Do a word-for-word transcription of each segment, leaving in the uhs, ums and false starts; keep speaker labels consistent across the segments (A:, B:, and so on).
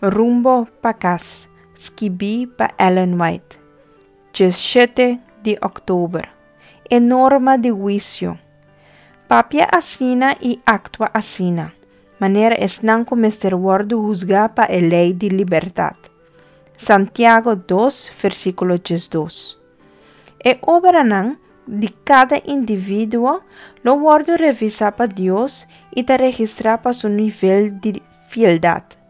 A: Rumbo pa Kas, skibí pa Ellen White. Diesshete di òktober. E norma di huisio. Papia asina i aktua asina, manera esnan ku mester wòrdu husgá pa e lei di libertat. Santiago dos, versíkulo diesdos. E obranan di kada individuo lo wòrdu revisá pa Dios i ta registrá pa su nivel di fieldat.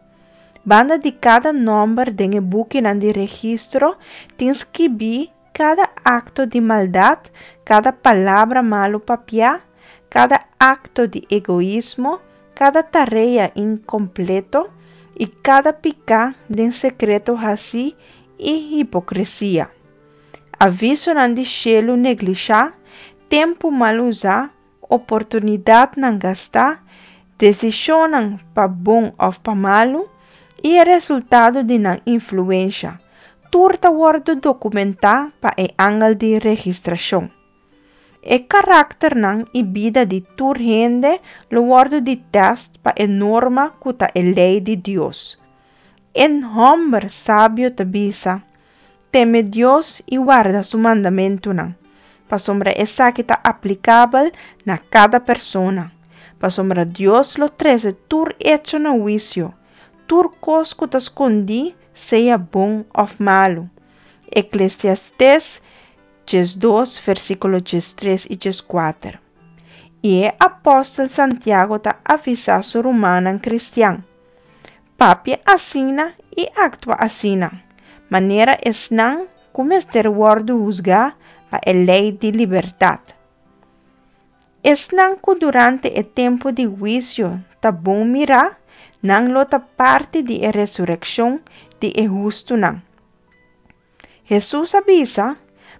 A: Banda di kada nòmber den e bukinan di registro tin skibí kada akto di maldat, kada palabra malu papiá, kada akto di egoismo, kada tarea inkompleto i kada piká den sekreto hasí i hipokresia. Avisonan di shelu neglishá, tempu mal usá, oportunidatnan gastá, desishonnan pa bon òf pa malu i e resultado di nan influensia, tur ta wòrdu dokumentá pa e angel di registrashon. E karakternan i bida di tur hende lo wòrdu di tèst pa e norma ku ta e lei di Dios. E hòmber sabio ta bisa, Teme Dios i warda su mandamentunan, pasobra esaki ta aplikabel na kada persona, pasobra Dios lo trese tur echo na huisio, tur kos ku ta skondí, sea bon òf malu. Eklesiastes diesdos, versíkulo diestres i dieskuater. I e apòstel Santiago ta avisá su rumannan kristian, Papia asina i aktua asina, manera esnan ku mester wòrdu husgá pa e lei di libertat. Esnan ku durante e tempu di huisio ta bon mirá, nan lo ta parti di e resurekshon di e hustunan. Hesus a bisa,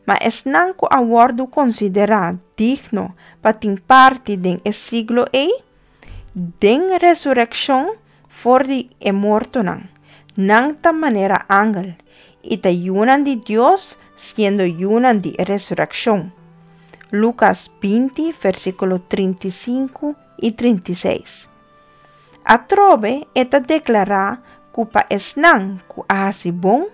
A: Ma esnan ku a wòrdu konsiderá digno pa tin parti den e siglo ei, den resurekshon for di e mortonan, nan ta manera angel, i ta yunan di Dios siendo yunan di resurekshon. Lukas binti, versíkulo trinta i sinku i trinta i seis. Atrobe e ta deklará ku pa esnan ku a hasi bon,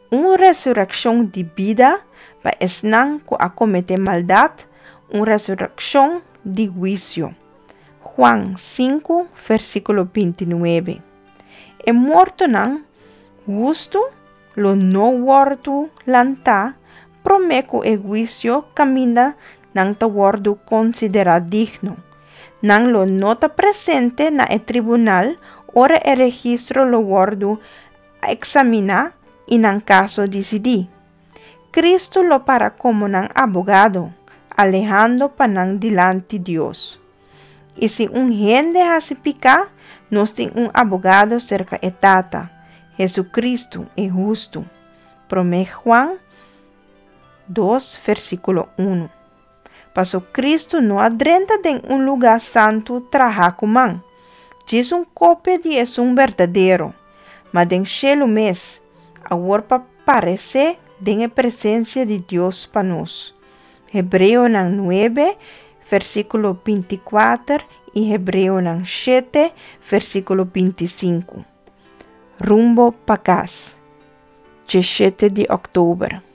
A: un resurekshon di bida, pa esnan ku a kometé maldat, un resurekshon di huisio. Juan sinku, versíkulo binti nuebe. E mortonan hustu lo no wòrdu lantá promé ku e huisio kaminda nan ta wòrdu konsiderá digno. Nan lo no ta presente na e tribunal ora e registro lo wòrdu eksaminá i nan kaso disidí. Kristu lo para komo nan abogado, alehando pa nan dilanti Dios. I si un hende hasi piká, nos tin un abogado serka e Tata, Hesukristu, e hustu. Promé Juan dos, versíkulo unu. Paso Kristu no a drenta den un lugá santu trahá ku man, djis un kopia di esun berdadero, ma den shelu mes, awor pa paresé den e presensia di Dios pa nos. Hebreonan nuebe, versíkulo binti kuater i Hebreonan shete, versíkulo binti sinku. Rumbo pa kas. Diesshete di òktober.